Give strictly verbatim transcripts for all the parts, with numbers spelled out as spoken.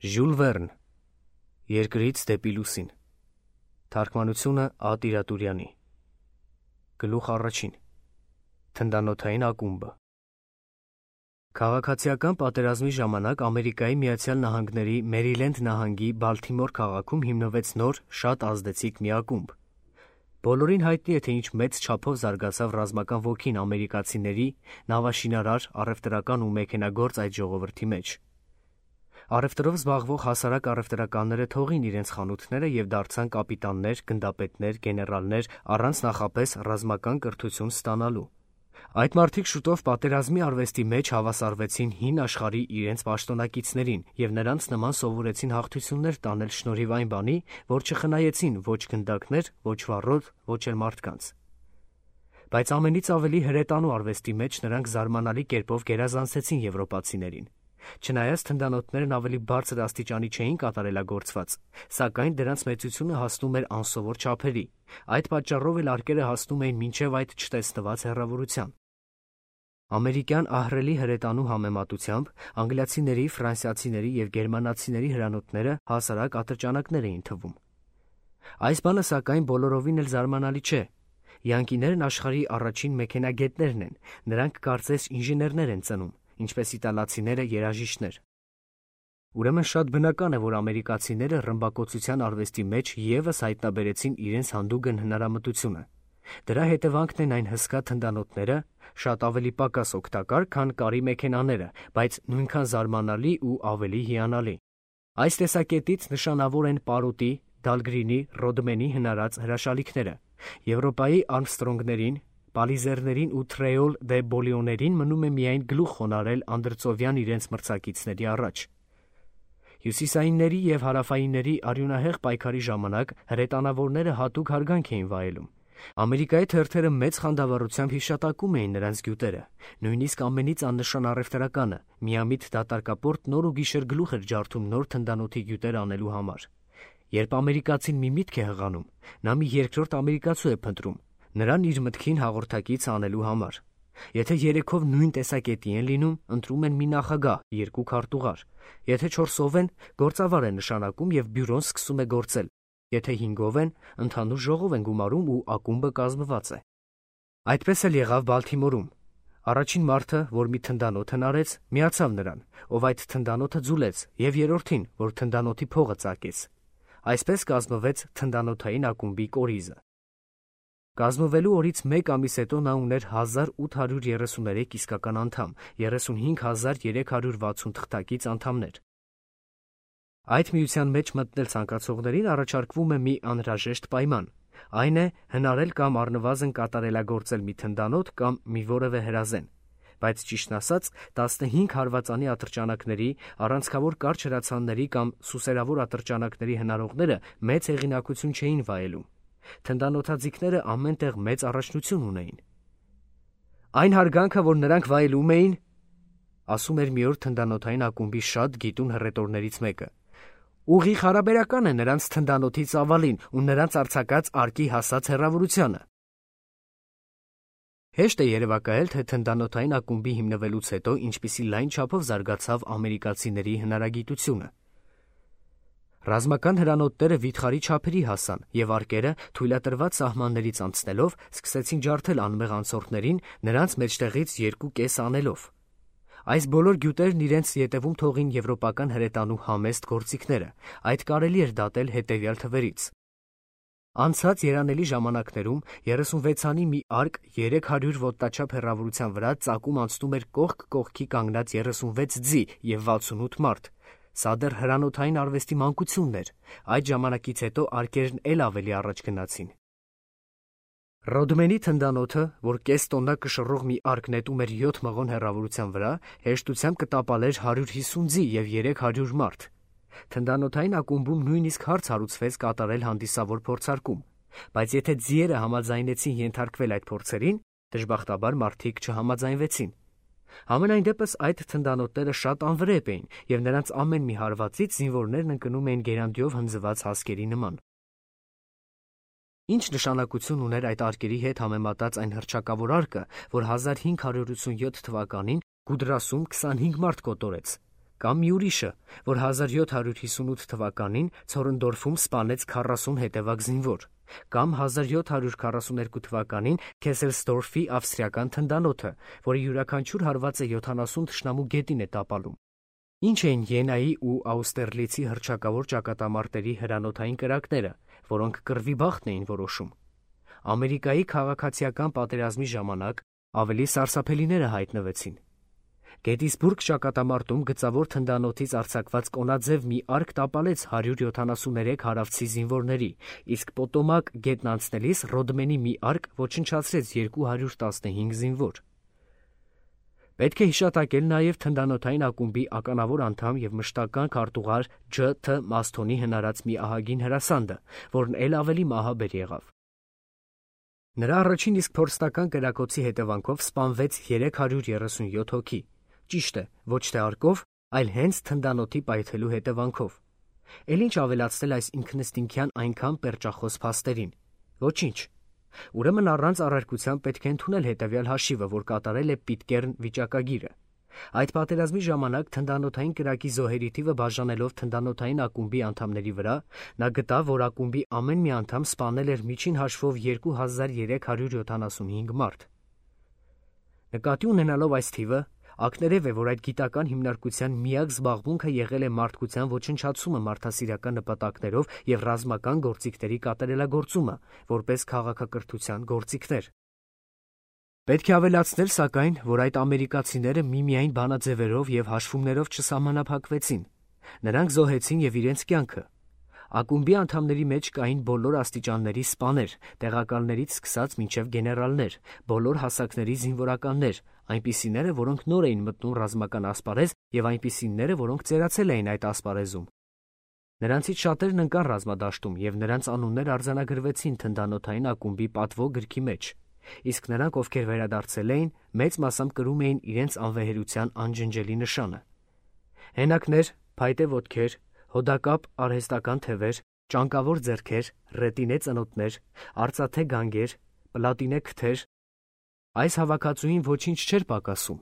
Ժյուլ Վերն Երկրից դեպի լուսին Թարգմանությունը Ա. Տիրատուրյանի Գլուխ առաջին Թնդանոթային ակումբը Քաղաքացիական պատերազմի ժամանակ Ամերիկայի Միացյալ Նահանգների Մերիլենդ նահանգի Բալթիմոր քաղաքում հիմնվեց նոր, շատ ազդեցիկ մի ակումբ։ Բոլորին հայտնի է, թե ինչ մեծ չափով զարգացավ ռազմական ոգին ամերիկացիների, նավաշինարար, առևտրական ու մեքենագործ այդ ժողովրդի մեջ։ Առևտրով զբաղվող հասարակ առևտրականները թողին իրենց խանութները և դարձան կապիտաններ, գնդապետներ, գեներալներ առանց նախապես ռազմական կրթություն ստանալու։ Այդ մարդիկ շուտով պատերազմի արվեստի մեջ հավասարվեցին հին աշխարհի իրենց պաշտոնակիցներին և նրանց նման սովորեցին հաղթություններ տանել շնորհիվ այն բանի, որ չխնայեցին ոչ գնդակներ, ոչ վառոդ, ոչ էլ մարդկանց։ Բայց ամենից ավելի հրետանու արվեստի մեջ նրանք զարմանալի կերպով գերազանցեցին եվրոպացիներին։ Չնայած թնդանոթներն ավելի բարձր աստիճանի չէին կատարելագործված, սակայն դրանց մեծությունը հասնում էր անսովոր չափերի։ Այդ պատճառով էլ արկերը հասնում էին մինչև այդ չտեսնված հեռավորության։ Ամերիկյան ահռելի հրետանու համեմատությամբ անգլիացիների, ֆրանսիացիների և գերմանացիների հրանոթները հասարակ ատրճանակներ էին թվում։ Այս բանը սակայն բոլորովին էլ զարմանալի չէ։ Յանկիներն աշխարհի առաջին մեքենագետներն են, նրանք կարծես ինժեներներ են ծնում, ինչպես իտալացիները երաժիշտներ։ Ուրեմն շատ բնական է, որ ամերիկացիները ռմբակոծության արվեստի մեջ ևս հայտնաբերեցին իրենց հանդուգն հնարամտությունը։ Դրա հետևանքն են այն հսկա թնդանոթները, շատ ավելի պակաս օգտակար, քան կարի մեքենաները, բայց նույնքան զարմանալի ու ավելի հիանալի։ Այս տեսակետից նշանավոր են Պարոտի, Դալգրինի, Ռոդմենի հնարած հրաշալիքները։ Եվրոպայի Արմստրոնգներին, Պալիզերներին ու Թրեոլ դե Բոլիոներին մնում է միայն գլուխ խոնարհել անդրծովյան իրենց մրցակիցների առաջ։ Հյուսիսայինների և հարավայինների արյունահեղ պայքարի ժամանակ հրետանավորները հատուկ հարգանք էին վայելում։ Ամերիկայի թերթերը մեծ խանդավառությամբ հիշատակում էին նրանց գյուտերը։ Նույնիսկ ամենից աննշան առևտրականը միամիտ դատարկապորտ նոր ու գիշեր գլուխ էր ջարդում նոր թնդանոթի գյուտեր անելու համար։ Երբ ամերիկացին մի միտք է հղանում, նա մի երկրորդ ամերիկացու է փնտրում, նրան իր մտքին հաղորդակից անելու համար։ Եթե երեքով նույն տեսակետի են լինում, ընտրում են մի նախագահ, երկու քարտուղար։ Եթե չորսով են, գործավար է նշանակում և բյուրոն սկսում է գործել։ Եթե հինգով են, ընդհանուր ժողով են գումարում ու ակումբը կազմված է։ Այդպես էլ եղավ Բալթիմորում։ Առաջին մարդը, որ մի թնդանոթ հնարեց, միացավ նրան, ով այդ թնդանոթը ձուլեց, և երրորդին, որ թնդանոթի փողը ծակեց։ Այսպես կազմվեց թնդանոթային ակումբի կորիզը։ Կազմվելու օրից մեկ ամիս հետո նա ուներ հազար ութ հարյուր երեսուներեք իսկական անդամ, երեսունհինգ հազար երեք հարյուր վաթսուն թղթակից անդամներ։ Այդ միության մեջ մտնել ցանկացողներին առաջարկվում է մի անհրաժեշտ պայման, այն է հնարել կամ առնվազն կատարելագործել մի թնդանոթ կամ մի որևէ հրազեն։ Բայց ճիշտն ասած, տասնհինգ հարվածանի ատրճանակների, առանցքավոր կարճ հրացանների կամ սուսերավոր ատրճանակների հնարողները մեծ հեղինակություն չէին վայելում։ Թնդանոթաձիգները ամեն տեղ մեծ առաջնություն ունեին։ Այն հարգանքը, որ նրանք վայելում էին, ասում էր մի օր թնդանոթային ակումբի շատ գիտուն հռետորներից մեկը, ուղիղ հարաբերական է նրանց թնդանոթի ծավալին ու նրանց արձակած արկի հասած հեռավորությանը։ Հեշտ է երևակայել, թե թնդանոթային ակումբի հիմնվելուց հետո ինչպիսի լայն չափով զարգացավ ամերիկացիների հնարագիտությունը։ Ռազմական հրանոթները վիթխարի չափերի հասան, և արկերը թույլատրված սահմաններից անցնելով սկսեցին ջարդել անմեղ անցորդներին նրանց մեջտեղից երկու կես անելով։ Այս բոլոր գյուտերն իրենց ետևում թողին եվրոպական հրետանու համեստ գործիքները։ Այդ կարելի էր դատել հետևյալ թվերից։ Անցած երանելի ժամանակներում երեսունվեցանի մի արկ երեք հարյուր ոտնաչափ հեռավորության վրա ծակում անցնում էր կողք կողքի կանգնած երեսունվեց ձի և վաթսունութ մարդ։ Սա դեռ հրանոթային արվեստի մանկությունն էր։ Այդ ժամանակից հետո արկերն էլ ավելի առաջ գնացին։ Ռոդմենի թնդանոթը, որ կես տոննա կշռող մի արկ նետում էր յոթ մղոն հեռավորության վրա, հեշտությամբ կտապալեր հարյուր հիսուն ձի և երեք հարյուր մարդ։ Թնդանոթային ակումբում նույնիսկ հարց հարուցվեց կատարել հանդիսավոր փորձարկում, բայց եթե ձիերը համաձայնեցին ենթարկվել այդ փորձերին, դժբախտաբար մարդիկ չհամաձայնվեցին։ Համենայն դեպս այդ թնդանոթները շատ անվրեպ էին, և նրանց ամեն մի հարվածից զինվորներն ընկնում էին գերանդիով հնձված հասկերի նման։ Ինչ նշանակություն ուներ այդ արկերի հետ համեմատած այն հռչակավոր արկը, որ հազար հինգ հարյուր ութսունյոթ թվականին Գուդրասում քսանհինգ մարդ կոտորեց։ կամ մի ուրիշը, որ հազար յոթ հարյուր հիսունութ թվականին Ցորնդորֆում սպանեց քառասուն հետևակ զինվոր, կամ հազար յոթ հարյուր քառասուներկու թվականին Քեսելսդորֆի ավստրիական թնդանոթը, որի յուրաքանչյուր հարվածը յոթանասուն թշնամու գետին է տապալում։ Ինչ էին Յենայի ու Աուստերլիցի հռչակավոր ճակատամարտերի հրանոթային կրակները, որոնք կռվի բախտն էին որոշում։ Ամերիկայի քաղաքացիական պատերազմի ժամանակ ավելի սարսափելիները հայտնվեցին։ Գետիսբուրգ ճակատամարտում գծավոր թնդանոթից արձակված կոնաձև մի արկ տապալեց հարյուր յոթանասուններեք հարավցի զինվորների, իսկ Պոտոմակ գետն անցնելիս Ռոդմենի մի արկ ոչնչացրեց երկու հարյուր տասնհինգ զինվոր։ Պետք է հիշատակել նաև թնդանոթային ակումբի ականավոր անդամ և մշտական քարտուղար Ջ. Թ. Մասթոնի հնարած մի ահագին հրասանդը, որն էլ ավելի մահաբեր եղավ։ Նրա առաջին իսկ փորձնական կրակոցի հետևանքով սպանվեց երեք հարյուր երեսունյոթ հոգի, ճիշտ է, ոչ թե արկով, այլ հենց թնդանոթի պայթելու հետևանքով։ Էլ ինչ ավելացնել այս ինքնըստինքյան այնքան պերճախոս փաստերին։ Ոչինչ։ Ուրեմն առանց առարկության պետք է ընդունել հետևյալ հաշիվը, որ կատարել է Պիտկերն վիճակագիրը։ Այդ պատերազմի ժամանակ թնդանոթային կրակի զոհերի թիվը բաժանելով թնդանոթային ակումբի անդամների վրա, նա գտավ, որ ակումբի ամեն մի անդամ սպանել էր միջին հաշվով երկու հազար երեք հարյուր յոթանասունհինգ մարդ։ Նկատի ունենալով այս թիվը, ակներև է, որ այդ գիտական հիմնարկության միակ զբաղմունքը եղել է մարդկության ոչնչացումը մարդասիրական նպատակներով և ռազմական գործիքների կատարելագործումը, որպես քաղաքակրթության գործիքներ։ Պետք է ավելացնել, սակայն, որ այդ ամերիկացիները միմիայն բանաձևերով և հաշվումներով չսահմանափակվեցին։ Նրանք զոհեցին և իրենց կյանքը։ Ակումբի անդամների մեջ կային բոլոր աստիճանների սպաներ, տեղակալներից սկսած մինչև գեներալներ, բոլոր հասակների զինվորականներ, այնպիսիները, որոնք նոր էին մտնում ռազմական ասպարեզ, և այնպիսիները, որոնք ծերացել էին այդ ասպարեզում։ Նրանցից շատերն ընկան ռազմադաշտում, և նրանց անուններ արձանագրվեցին թնդանոթային ակումբի պատվո գրքի մեջ, իսկ նրանք, ովքեր վերադարձել էին, մեծ մասամբ կրում էին իրենց անվեհերության անջնջելի նշանը։ Հենակներ, փայտե ոտքեր, հոդակապ արհեստական թևեր, ճանկավոր ձեռքեր, ռետինե ծնոտներ, արծաթե գանգեր, պլատինե քթեր, այս հավաքածուին ոչինչ չէր պակասում։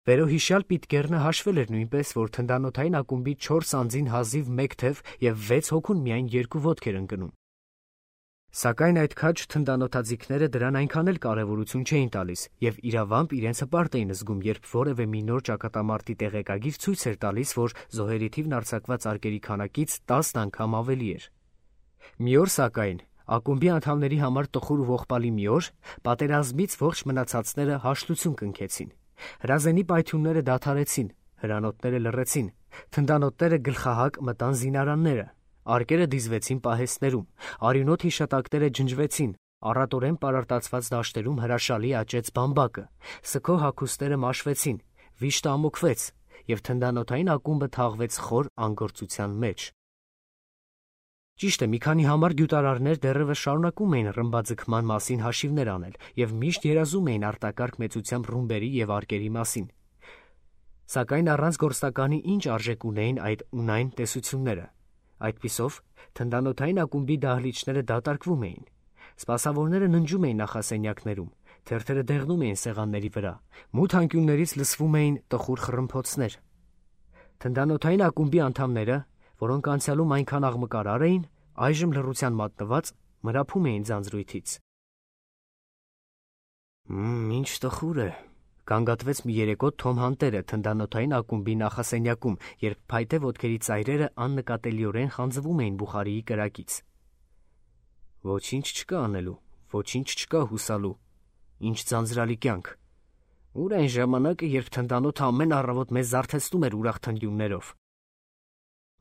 Վերոհիշյալ Պիտկերնը հաշվել էր նույնպես, որ թնդանոթային ակումբի չորս անձին հազիվ մեկ թև և վեց հոգուն միայն երկու ոտք էր ընկնում։ Սակայն այդ քաջ թնդանոթաձիգները դրան այնքան էլ կարևորություն չէին տալիս և իրավամբ իրենց հպարտ էին զգում, երբ որևէ մի նոր ճակատամարտի տեղեկագիր ցույց էր տալիս, որ զոհերի թիվն արձակված արկերի քանակից տասն անգամ ավելի էր։ Մի օր, սակայն, ակումբի անդամների համար տխուր ու ողբալի մի օր, պատերազմից ողջ մնացածները հաշտություն կնքեցին։ Հրազենի պայթյունները դադարեցին, հրանոթները լռեցին, թնդանոթները գլխահակ մտան զինարանները, արկերը դիզվեցին պահեստներում, արյունոտ հիշատակները ջնջվեցին, առատորեն պարարտացված դաշտերում հրաշալի աճեց բամբակը, սգո հագուստները մաշվեցին, վիշտը ամոքվեց, և թնդանոթային ակումբը թաղվեց խոր անգործության մեջ։ Ճիշտ է, մի քանի համար գյուտարարներ դեռևս շարունակում էին ռմբաձգման մասին հաշիվներ անել և միշտ երազում էին արտակարգ մեծությամբ ռումբերի և արկերի մասին։ Սակայն առանց գործնականի ինչ արժեք ունեին այդ ունայն տեսությունները։ Այդպիսով, թնդանոթային ակումբի դահլիճները դատարկվում էին։ Սպասավորները ննջում էին նախասենյակներում, թերթերը դեղնում էին սեղանների վրա, մութ անկյուններից լսվում էին տխուր խռմփոցներ։ Թնդանոթային ակումբի անդամները, որոնք անցյալում այնքան աղմկարար էին, այժմ լռության մատնված, մրափում էին ձանձրույթից։ «Մմ, ինչ տխուր է», գանգատվեց մի երեկո Թոմ Հանտերը թնդանոթային ակումբի նախասենյակում, երբ փայտե ոտքերի ծայրերը աննկատելիորեն խանձվում էին բուխարիի կրակից։ «Ոչինչ չկա անելու, ոչինչ չկա հուսալու, ինչ ձանձրալի կյանք։ Ուր այն ժամանակը, երբ թնդանոթը ամեն առավոտ մեզ զարթեցնում էր ուրախ թնդյուններով»։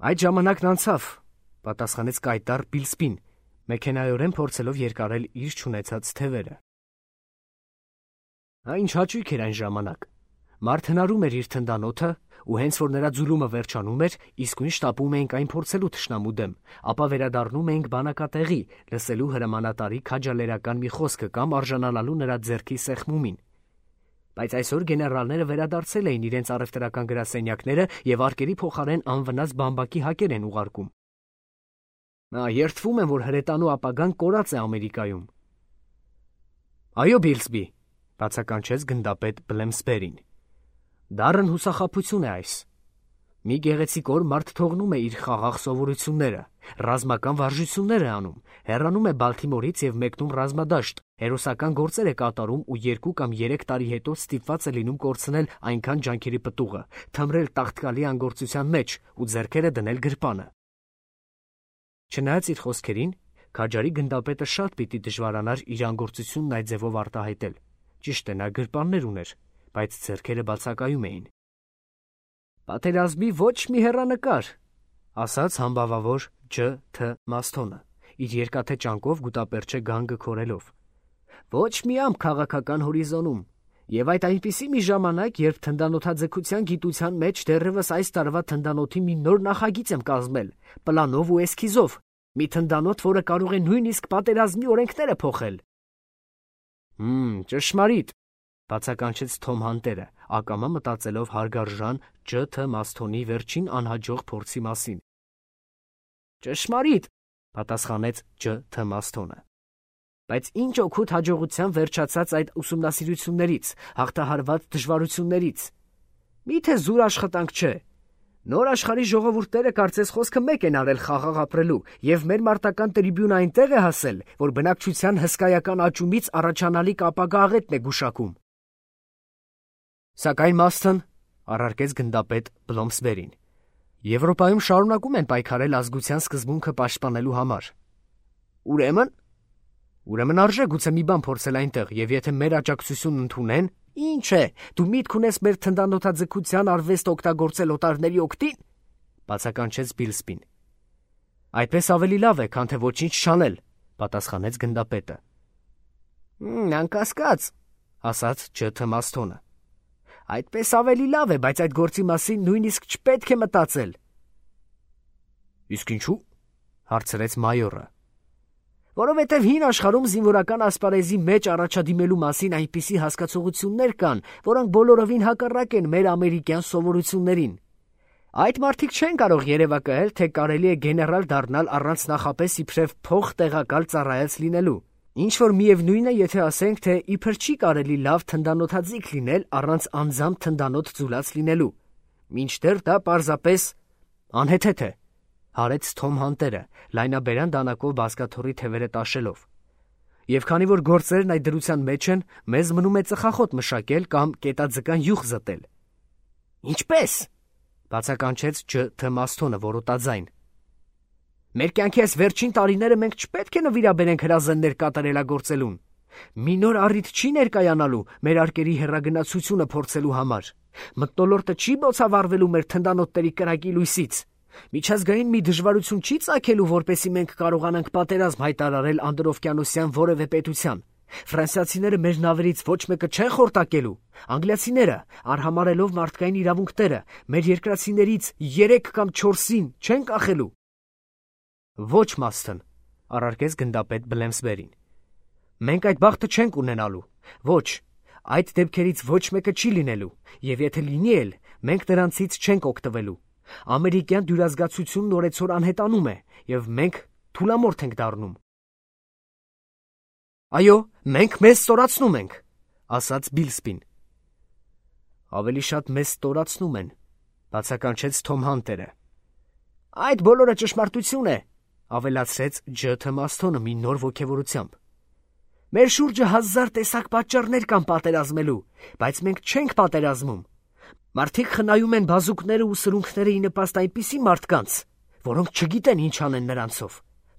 «Այդ ժամանակն անցավ», պատասխանեց կայտառ Բիլսպին, մեքենայորեն փորձելով երկարել իր չունեցած թևերը։ Այն ինչ հաճույք էր այն ժամանակ։ Մարդ հնարում էր իր թնդանոթը, ու հենց որ նրա ձուլումը վերջանում էր, իսկույն շտապում էինք այն փորձելու թշնամու դեմ, ապա վերադառնում էինք բանակատեղի, լսելու հրամանատարի քաջալերական մի խոսքը կամ արժանանալու նրա ձեռքի սեղմումին։ Բայց այսօր գեներալները վերադարձել էին իրենց առևտրական գրասենյակները և արկերի փոխարեն անվնաս բամբակի հակեր են ուղարկում։ Նա երդվում եմ, որ հրետանու ապագան կորած է Ամերիկայում։ Այո, Բիլսբի, բացականչեց գնդապետ Բլեմսբերին։ Դառն հուսախաբություն է այս։ Մի գեղեցիկ օր մարդ թողնում է իր խաղաղ սովորությունները, ռազմական վարժություններ է անում, հեռանում է Բալթիմորից եւ մեկնում ռազմադաշտ, հերոսական գործեր է կատարում ու երկու կամ երեք տարի հետո ստիպված է լինում կորցնել այնքան ջանքերի պտուղը, թմրել տաղտկալի անգործության մեջ ու ձեռքերը դնել գրպանը։ Չնայած իր խոսքերին, քաջարի գնդապետը շատ պիտի դժվարանար իր անգործությունն այդ ձևով արտահայտել։ Ճիշտ է, նա գրպաններ ուներ, բայց ձեռքերը բացակայում էին։ Պատերազմի ոչ մի հեռանկար, ասաց համբավավոր Ջ. Թ. Մասթոնը, իր երկաթե ճանկով գուտապերճե գանգը քորելով։ Ոչ մի ամպ քաղաքական հորիզոնում, եւ այդ այնպիսի մի ժամանակ, երբ թնդանոթաձգության գիտության մեջ դեռևս այս տարվա թնդանոթի մի նոր նախագիծ եմ կազմել, պլանով ու էսքիզով, մի թնդանոթ, որը կարող է նույնիսկ պատերազմի օրենքները փոխել։ Հմ, ճշմարիտ, բացականչեց Թոմ Հանտերը, ակամա մտածելով հարգարժան Ջ. Թ. Մասթոնի վերջին անհաջող փորձի մասին։ Ճշմարիտ, պատասխանեց Ջ. Թ. Մասթոնը։ Բայց ինչ օգուտ հաջողության վերջացած այդ ուսումնասիրություններից, հաղթահարված դժվարություններից։ Միթե զուր աշխատանք չէ։ Նոր աշխարհի ժողովուրդները կարծես խոսքը մեկ են արել խաղաղ ապրելու, եւ մեր մարտական տրիբյունը այնտեղ է հասել, որ բնակչության հսկայական աճումից առաջանալիք ապագա աղետն է գուշակում։ Սակայն Մասթոն, առարկեց գնդապետ Բլոմսբերին, Եվրոպայում շարունակում են պայքարել ազգության սկզբունքը պաշտպանելու համար։ Ուրեմն, ուրեմն արժե գուցե մի բան փորձել այնտեղ, եւ եթե մեր աջակցությունն ընդունեն, ինչ է, դու միտք ունես մեր թնդանոթաձգության արվեստ օգտագործել օտարների օգտին, բացականչեց Բիլսպին։ Այդպես ավելի լավ է, քան թե ոչինչ չանել, պատասխանեց գնդապետը։ Անկասկած, ասաց Ջ. Թ. Մասթոնը։ Այդպես ավելի լավ է, բայց այդ գործի մասին նույնիսկ չպետք է մտածել։ Իսկ ինչու՞, հարցրեց մայորը։ Որովհետև հին աշխարհում զինվորական ասպարեզի մեջ առաջադիմելու մասին այնպիսի հասկացողություններ կան, որոնք բոլորովին հակառակ են մեր ամերիկյան սովորություններին։ Այդ մարդիկ չեն կարող երևակայել, թե կարելի է գեներալ դառնալ առանց նախապես իբրև փող տեղակալ ծառայած լինելու։ Ինչ որ միևնույն է, եթե ասենք, թե իբր չի կարելի լավ թնդանոթաձիգ լինել առանց անձամբ թնդանոթ ձուլած լինելու։ Մինչդեռ դա պարզապես անհեթեթ է, հարեց Թոմ Հանտերը, լայնաբերան դանակով բազկաթոռի թևերը տաշելով։ Եվ քանի որ գործերն այդ դրության մեջ են, մեզ մնում է ծխախոտ մշակել կամ կետաձկան յուղ զտել։ Ինչպես, բացականչեց Ջ. Թ. Մասթոնը որոտաձայն։ Մեր կյանքի այս վերջին տարիները մենք չպետք է նվիրաբերենք հրազեններ կատարելագործելուն։ Մի նոր առիթ չի ներկայանալու մեր արկերի հեռագնացությունը փորձելու համար։ Մթնոլորտը չի բոցավառվելու մեր թնդանոթների կրակի լույսից։ Միջազգային մի դժվարություն չի ծագելու, որպեսզի մենք կարողանանք պատերազմ հայտարարել անդրօվկիանոսյան որևէ պետության։ Ֆրանսիացիները մեր նավերից ոչ մեկը չեն խորտակելու։ Անգլիացիները, արհամարելով մարդկային իրավունքները, մեր երկրացիներից երեք կամ չորսին չեն կախելու։ Ոչ, Մասթոն, առարկեց գնդապետ Բլեմսբերին։ Մենք այդ բախտը չենք ունենալու։ Ոչ, այդ դեպքերից ոչ մեկը չի լինելու, եւ եթե լինի էլ, մենք նրանցից չենք օգտվելու։ Ամերիկյան դյուրազգացությունն օրեցօր անհետանում է, եւ մենք թուլամորթ ենք դառնում։ Այո, մենք մեզ ստորացնում ենք, ասաց Բիլսպին։ Ավելի շատ մեզ ստորացնում են, բացականչեց Թոմ Հանտերը։ Այդ բոլորը ճշմարտություն է, ավելացրեց Ջ. Թ. Մասթոնը մի նոր ոգևորությամբ։ Մեր շուրջը հազար տեսակ պատճառներ կան պատերազմելու, բայց մենք չենք պատերազմում։ Մարդիկ խնայում են բազուկները ու սրունքները ի նպաստ այնպիսի մարդկանց, որոնք չգիտեն ինչ անեն նրանցով։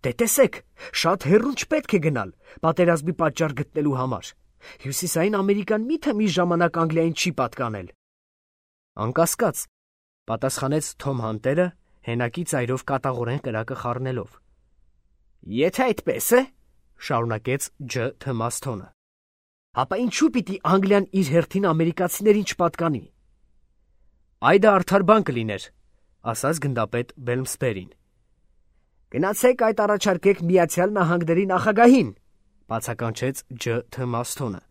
Դե տեսեք, շատ հեռուն չպետք է գնալ պատերազմի պատճառ գտնելու համար։ Հյուսիսային Ամերիկան միթե մի ժամանակ Անգլիային չի պատկանել։ Անկասկած, պատասխանեց Թոմ Հանտերը, հենակի ծայրով կատաղորեն կրակը խառնելով։ Եթե այդպես է, շարունակեց Ջ. Թ. Մասթոնը, ապա ինչու պիտի Անգլիան իր հերթին ամերիկացիներին չպատկանի։ Այ դա արդար բան կլիներ, ասաց գնդապետ Բելմսբերին։ Գնացեք այդ առաջարկեք Միացյալ Նահանգների նախագահին, բացականչեց Ջ. Թ. Մասթոնը,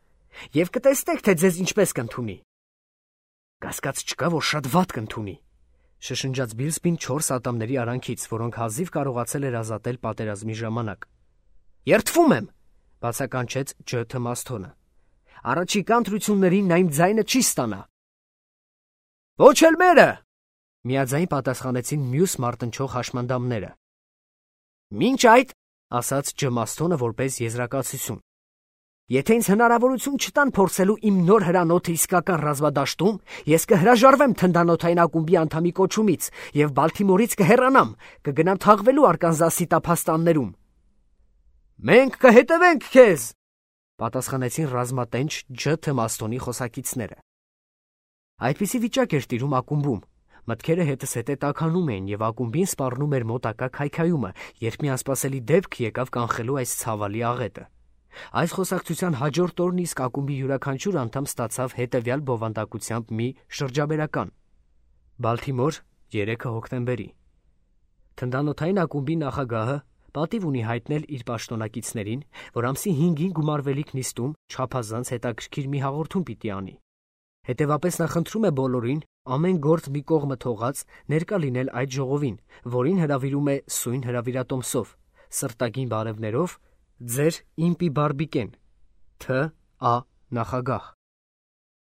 եւ կտեսնեք, թե ձեզ ինչպես կընդունի։ Կասկած չկա, որ շատ վատ կընդունի, շշնջաց Բիլսպին չորս ատամների արանքից, որոնք հազիվ կարողացել էր ազատել պատերազմի ժամանակ։ Երդվում եմ, բացականչեց Ջ. Թ. Մասթոնը։ Առաջիկա ընտրություններին նա իմ ձայնը չի ստանա։ Ոչ էլ մերը, Միաձայն պատասխանեցին մյուս մարտնչող հաշմանդամները։ Մինչ այդ, ասաց Ջմաստոնը որպես եզրակացություն, եթե ինձ հնարավորություն չտան փորձելու իմ նոր հրանոթը իսկական ռազմադաշտում, ես կհրաժարվեմ թնդանոթային ակումբի անդամի կոչումից եւ Բալթիմորից կհեռանամ, կգնամ թաղվելու Արկանզասի տափաստաններում։ Մենք կհետևենք քեզ, պատասխանեցին ռազմատենչ Ջ. Թմաստոնի խոսակիցները։ Այդպիսի վիճակ էր տիրում ակումբում։ Մտքերը հետս հետե տաքանում էին եւ ակումբին սպառնում էր մոտակա քայքայումը, երբ մի անսպասելի դեպք եկավ կանխելու այս ցավալի աղետը։ Այս խոսակցության հաջորդ օրն իսկ ակումբի յուրաքանչյուր անդամ ստացավ հետևյալ բովանդակությամբ մի շրջաբերական. Բալթիմոր, երեքը հոկտեմբերի։ Թնդանոթային ակումբի նախագահը պատիվ ունի հայտնել իր պաշտոնակիցներին, որ ամսի հինգին գումարվելիք նիստում չափազանց հետաքրքիր մի հաղորդում պիտի անի։ Հետևապես նա խնդրում է բոլորին ամեն գործ մի կողմը թողած ներկա լինել այդ ժողովին, որին հրավիրում է սույն հրավիրատոմսով, սրտագին բարևներով, ձեր Իմպի Բարբիկեն, Թ. Ա. նախագահ։